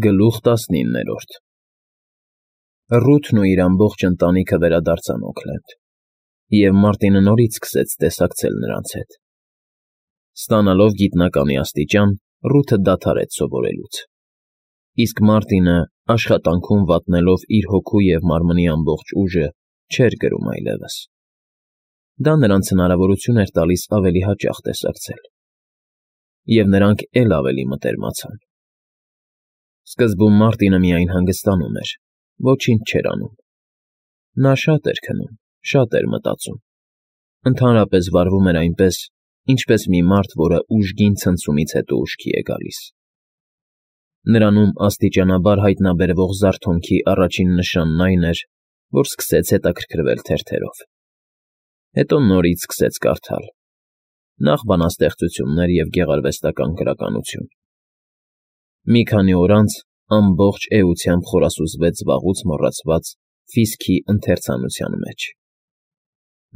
Գլուխ 19 Ռութն ու իր ամբողջ ընտանիքը վերադարձան Օքլենդ, և Մարտինը նորից սկսեց տեսակցել նրանց հետ։ Ստանալով գիտնականի աստիճան, Ռութը դադարեց սովորելուց, իսկ Մարտինը, աշխատանքում վատնելով իր հոգու և մարմնի ամբողջ ուժը, չէր գրում այլևս։ Դա նրանց հնարավորություն էր տալիս ավելի հաճախ տեսակցել, և նրանք էլ ավելի մտերմացան։ Սկզբում Մարտինը միայն հանգստանում էր, ոչինչ չէր անում։ Նա շատ էր քնում, շատ էր մտածում, ընդհանրապես վարվում էր այնպես, ինչպես մի մարդ, որը ուժգին ցնցումից հետո ուշքի է գալիս։ Նրանում աստիճանաբար հայտնաբերվող զարթոնքի առաջին նշանն այն էր, որ սկսեց հետաքրքրվել թերթերով։ Հետո նորից սկսեց կարդալ, նախ բանաստեղծություններ և գեղարվեստական գրականություն։ Մի քանի օր անց ամբողջ էությամբ խորասուզվեց վաղուց մոռացված Ֆիսքի ընթերցանության մեջ։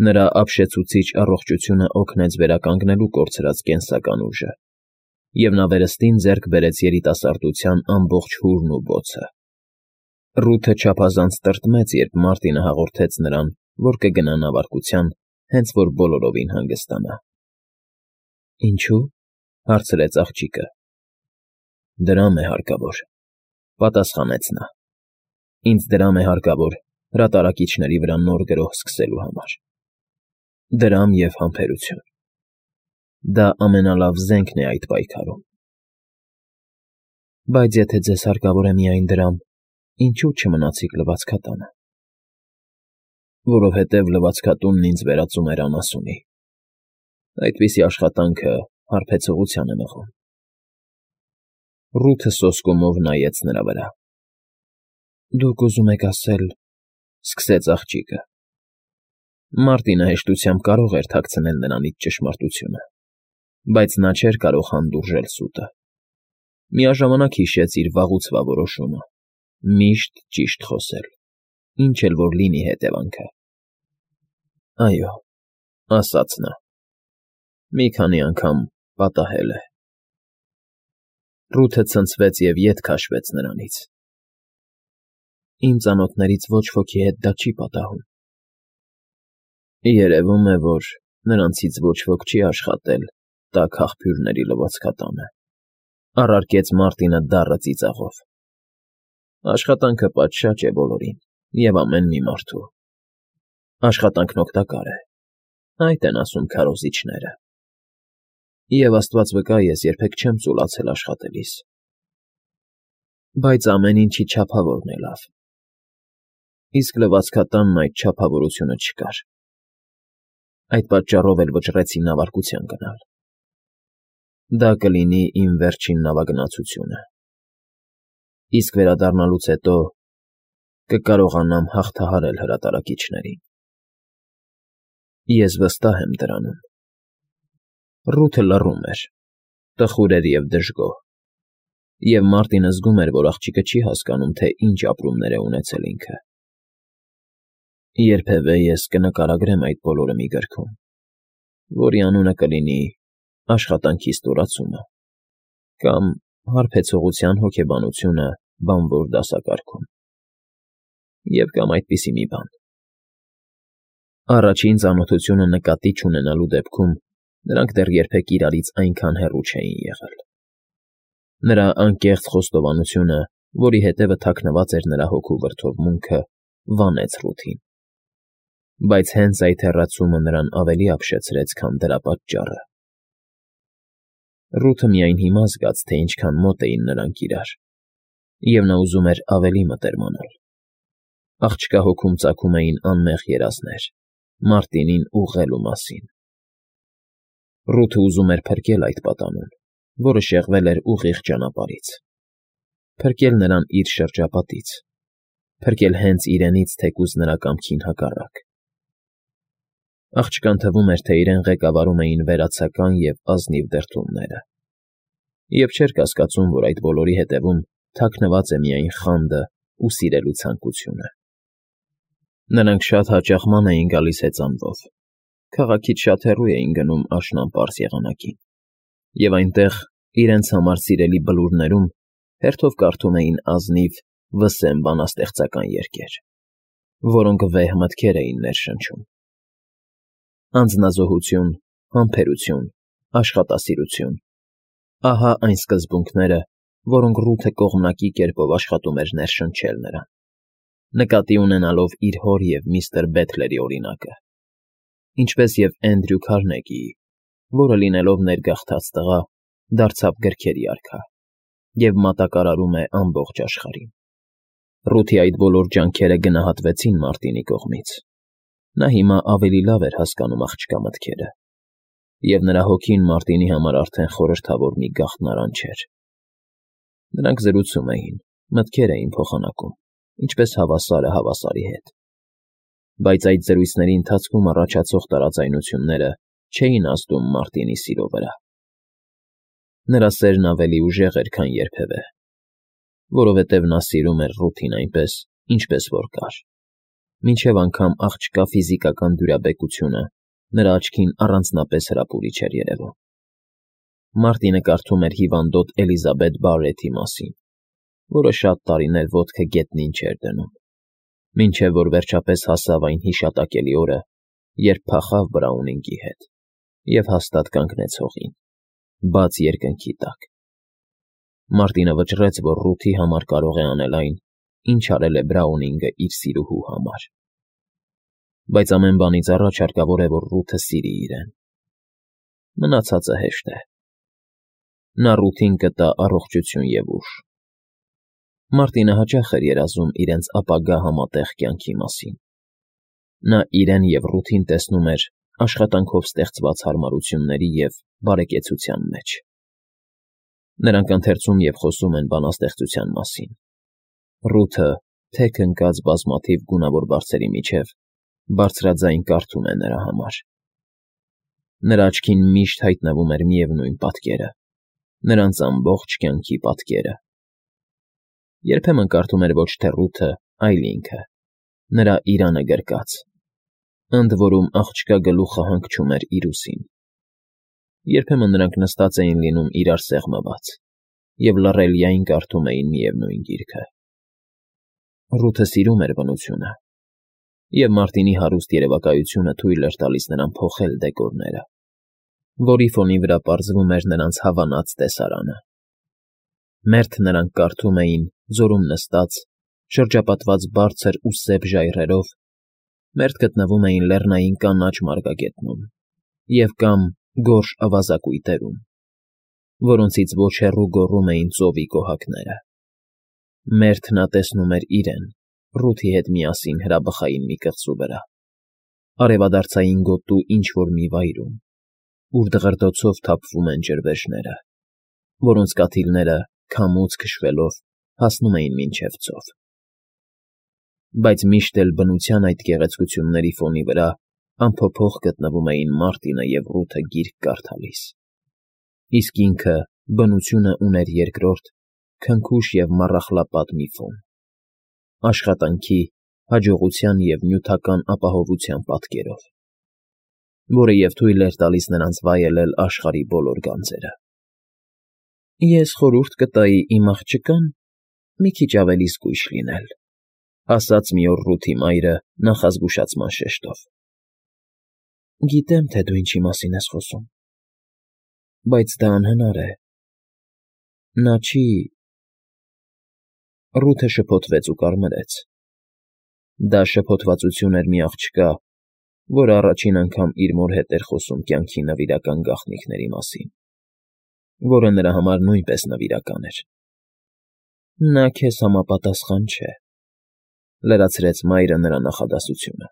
Նրա ապշեցուցիչ առողջությունը օգնեց վերականգնելու կորցրած կենսական ուժը, և նա վերստին ձեռք բերեց երիտասարդության ամբողջ հուրն ու բոցը։ Ռութը չափազանց տրտմեց, երբ Մարտինը հաղորդեց նրան, որ կգնա նավարկության, հենց որ բոլորովին հանգստանա։ «Ինչո՞ւ» հարցրեց աղջիկը։ «Դրամ է հարկավոր», պատասխանեց նա։ «Ինձ դրամ է հարկավոր հրատարակիչների վրա նոր գրող սկսելու համար։ Դրամ և համբերություն։ Դա ամենալավ զենքն է այդ պայքարում»։ «Բայց եթե ձեզ հարկավոր է միայն դրամ, ինչո՞ւ չմնացիք լվացքատանը»։ «Որովհետև լվացքատունն ինձ վերածում էր անասունի։ Այդպիսի աշխատանքը հարբեցողության է մղում»։ Ռութը սոսկումով նայեց նրա վրա։ «Դուք ուզում եք ասել…» սկսեց աղջիկը։ Մարտինը հեշտությամբ կարող էր թաքցնել նրանից ճշմարտությունը, բայց նա չէր կարող հանդուրժել սուտը։ Միաժամանակ հիշեց իր վաղուցվա որոշումը՝ միշտ ճիշտ խոսել, ինչ էլ որ լինի հետևանքը։ «Այո», ասաց նա, «մի քանի անգամ պատահել է»։ Ռութը ցնցվեց և ետ քաշվեց նրանից։ «Իմ ծանոթներից ոչ ոքի հետ դա չի պատահում»։ «Երևում է, որ նրանցից ոչ ոք չի աշխատել տաք աղբյուրների լվացքատանը», առարկեց Մարտինը դառը ծիծաղով։ «Աշխատանքը պատշաճ է բոլորին և ամեն մի մարդու։ Աշխատանքն օգտակար է, այդ են ասում քարոզիչները։ Եվ Աստված վկա, ես երբեք չեմ ծուլացել աշխատելիս։ Բայց ամեն ինչի չափավորն է լավ։ Իսկ լվացքատանն այդ չափավորությունը չկար։ Այդ պատճառով էլ վճռեցի նավարկության գնալ։ Դա կլինի իմ վերջին նավագնացությունը։ Իսկ վերադառնալուց հետո կկարողանամ հաղթահարել հրատարակիչներին։ Ես վստահ եմ դրանում»։ Ռութը լռում էր, տխուր էր և դժգոհ, և Մարտինը զգում էր, որ աղջիկը չի հասկանում, թե ինչ ապրումներ է ունեցել ինքը։ «Երբևէ ես կնկարագրեմ այդ բոլորը մի գրքում, որի անունը կլինի «Աշխատանքի ստորացումը» կամ «Հարբեցողության հոգեբանությունը բանվոր դասակարգում» և կամ այդպիսի մի բան։ Առաջին ծանոթությունը նկատի չունենալու դեպքում նրանք դեռ երբեք իրարից այնքան հեռու չէին եղել։ Նրա անկեղծ խոստովանությունը, որի հետևը թաքնված էր նրա հոգու վրդովմունքը, վանեց Ռութին։ Բայց հենց այդ հեռացումը նրան ավելի ապշեցրեց, քան դրա պատճառը։ Ռութը միայն հիմա զգաց, թե ինչքան մոտ էին նրանք իրար, և նա ուզում էր ավելի մտերմանալ։ Աղջկա հոգում ծագում էին անմեղ երազներ՝ Մարտինին ուղղելու մասին։ Ռութը ուզում էր փրկել այդ պատանուն, որը շեղվել էր ուղիղ ճանապարհից։ Փրկել նրան իր շրջապատից, փրկել հենց իրենից, թեկուզ նրա կամքին հակառակ։ Աղջկան թվում էր, թե իրեն ղեկավարում էին վերացական և ազնիվ դրդումները, և չէր կասկածում, որ այդ բոլորի հետևում թաքնված է միայն խանդը ու սիրելու ցանկությունը։ Նրանք շատ հաճախ ման էին գալիս հեծանվով, քաղաքից շատ հեռու էին գնում աշնան պարզ եղանակին, և այնտեղ, իրենց համար սիրելի բլուրներում, հերթով կարդում էին ազնիվ վսեմ բանաստեղծական երգեր, որոնք վեհ մտքեր էին ներշնչում. անձնազոհություն, համբերություն, աշխատասիրություն. ահա այն սկզբունքները, որոնք Ռութը կողմնակի կերպով աշխատում էր ներշնչել նրան, նկատի ունենալով իր հոր և միստր Բեթլերի օրինակը, ինչպես և Էնդրյու Քարնեգիի, որը լինելով ներգաղթած տղա, դարձավ գրքերի արքա և մատակարարում է ամբողջ աշխարհին։ Ռութի այդ բոլոր ջանքերը գնահատվեցին Մարտինի կողմից։ Նա հիմա ավելի լավ էր հասկանում աղջկա մտքերը, և նրա հոգին Մարտինի համար արդեն խորհրդավոր մի գաղտնարան չէր։ Նրանք զրուցում էին, մտքեր էին փոխանակում, ինչպես հավասարը հավասարի հետ։ Բայց այդ զրույցների ընթացքում առաջացող տարաձայնությունները չէին ազդում Մարտինի սիրո վրա։ Նրա սերն ավելի ուժեղ էր, քան երբևէ, որովհետև նա սիրում էր Ռութին այնպես, ինչպես որ կար, մինչև անգամ աղջկա ֆիզիկական դյուրաբեկությունը նրա աչքին առանձնապես հրապուրիչ էր երևում։ Մարտինը կարդում էր հիվանդոտ Էլիզաբեթ Բարրեթի մասին, որը շատ տարիներ ոտքը գետնին չէր դնում, մինչև որ վերջապես հասավ այն հիշատակելի օրը, երբ փախավ Բրաունինգի հետ և հաստատ կանգնեց հողին, բաց երկնքի տակ։ Մարտինը վճռեց, որ Ռութի համար կարող է անել այն, ինչ արել է Բրաունինգը իր սիրուհու համար։ Բայց ամեն բանից առաջ հարկավոր է, որ Ռութը սիրի իրեն։ Մնացածը հեշտ է։ Նա Ռութին կտա առողջություն և ուժ։ Մարտինը հաճախ էր երազում իրենց ապագա համատեղ կյանքի մասին։ Նա իրեն և Ռութին տեսնում էր աշխատանքով ստեղծված հարմարությունների և բարեկեցության մեջ։ Նրանք ընթերցում և խոսում են բանաստեղծության մասին։ Ռութը, թեք ընկած բազմաթիվ գունավոր բարձերի միջև, բարձրաձայն կարդում է նրա համար։ Նրա աչքին միշտ հայտնվում էր միևնույն պատկերը, նրանց ամբողջ կյանքի պատկերը։ Երբեմն կարդում էր ոչ թե Ռութը, այլ ինքը, նրա իրանը գրկած, ընդ որում աղջկա գլուխը հանգչում էր իր ուսին։ Երբեմն նրանք նստած էին լինում իրար սեղմված և լռելիայն կարդում էին միևնույն գիրքը։ Ռութը սիրում էր բնությունը, և Մարտինի հարուստ երևակայությունը թույլ էր տալիս նրան փոխել դեկորները, որի ֆոնի վրա պարզվում էր նրանց հավանած տեսարանը։ Մերթ նրանք կարդում էին, ձորում նստած, շրջապատված բարձր ու սև ժայռերով, մերթ գտնվում էին լեռնային կանաչ մարգագետնում և կամ գորշ ավազակույտերում, որոնցից ոչ հեռու գոռում էին ծովի կոհակները։ Մերթ նա տեսնում էր իրեն, Ռութի հետ միասին հրաբխային մի կղզու վրա, արևադարձային գոտու ինչ֊որ մի վայրում, ուր դղրդոցով թափվում են ջրվեժները, որոնց կաթիլները, քամուց քշվելով, հասնում էին մինչև ծով։ Բայց միշտ էլ բնության այդ գեղեցկությունների ֆոնի վրա անփոփոխ գտնվում էին Մարտինը և Ռութը գիրք կարդալիս, իսկ ինքը, բնությունը, ուներ երկրորդ, քնքուշ և մառախլապատ մի ֆոն՝ աշխատանքի, հաջողության և նյութական ապահովության պատկերով, որը և թույլ էր տալիս նրանց վայելել աշխարհի բոլոր գանձերը։ «Ես խորհուրդ կտայի իմ աղջկան մի քիչ ավելի զգույշ լինել», ասաց մի օր Ռութի մայրը նախազգուշացման շեշտով։ «Գիտեմ, թե դու ինչի մասին ես խոսում, բայց դա անհնար է։ Նա չի…» Ռութը շփոթվեց ու կարմրեց։ Դա շփոթվածություն էր մի աղջկա, որը առաջին անգամ իր մոր հետ էր խոսում կյանքի նվիրական գաղտնիքների մասին, որը նրա համար նույնպես նվիրական էր։ «Նա քեզ համապատասխան չէ», լրացրեց մայրը նրա նախադասությունը։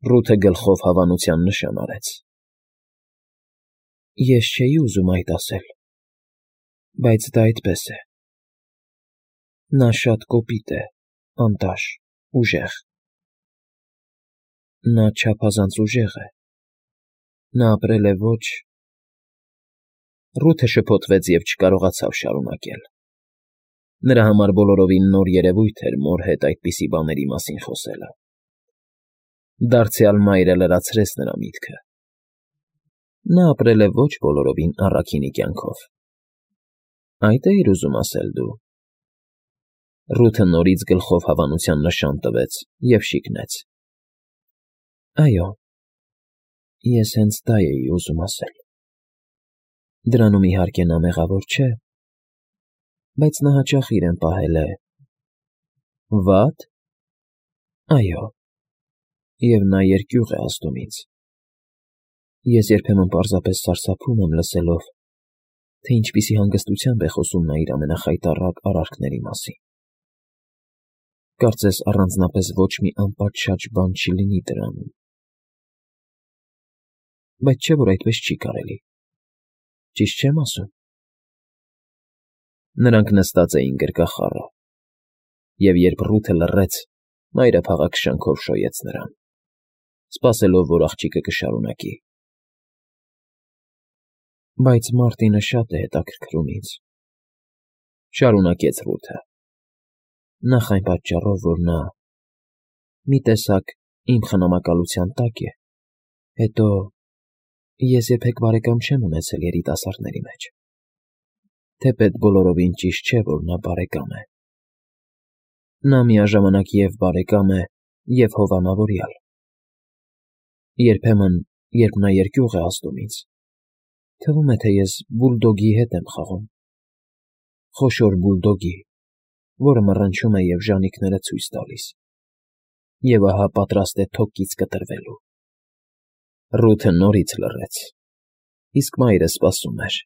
Ռութը գլխով հավանության նշան արեց։ «Ես չէի ուզում այդ ասել, բայց դա այդպես է։ Նա շատ կոպիտ է, անտաշ, ուժեղ։ Նա չափազանց ուժեղ է։ Նա ապրել է ոչ…» Ռութը շփոթվեց և չկարողացավ շարունակել։ Նրա համար բոլորովին նոր երևույթ էր մոր հետ այդպիսի բաների մասին խոսելը։ Դարձյալ մայրը լրացրեց նրա միտքը։ Նա ապրել է ոչ բոլորովին առաքինի կյանքով։ Այդ էիր ուզում ասել դու։ Ռութը նորից գլխով հավանության նշան տվեց և շիկնեց։ Այո, ես հենց դա էի ուզում ասել։ Դրանում իհարկե նա մեղավոր չէ, բայց նա հաճախ իրեն պահել է… Վա՞տ։ Այո, և նա երկյուղ է ազդում ինձ։ Ես երբեմն պարզապես սարսափում եմ լսելով, թե ինչպիսի հանգստությամբ է խոսում նա իր ամենախայտառակ արարքների մասին։ Կարծես առանձնապես ոչ մի անպատշաճ բան չլինի դրանում։ Բայց չէ՞ որ այդպես չի կարելի։ Ճիշտ չեմ ասում։ Նրանք նստած էին գրկախառը, և երբ Ռութը լռեց, մայրափաղաք շնչով շոյեց նրան, սպասելով, որ աղջիկը կշարունակի։ Բայց Մարտինը շատ է հետաքրքրում ինձ, շարունակեց Ռութը, նախ այն պատճառով, որ նա մի տեսակ իմ խնամակալության տակ է, հետո ես երբեք բարեկամ չեմ ունեցել երիտասարդների մեջ, թեպետ բոլորովին ճիշտ չէ, որ նա բարեկամ է։ Նա միաժամանակ և բարեկամ է, և հովանավորյալ։ Երբեմն, երբ նա երկյուղ է ազդում ինձ, թվում է, թե ես բուլդոգի հետ եմ խաղում, խոշոր բուլդոգի, որը մռնչում է և ժանիքները ցույց տալիս, և ահա պատրաստ է թոկից կտրվելու։ Ռութը նորից լռեց, իսկ մայրը սպասում էր։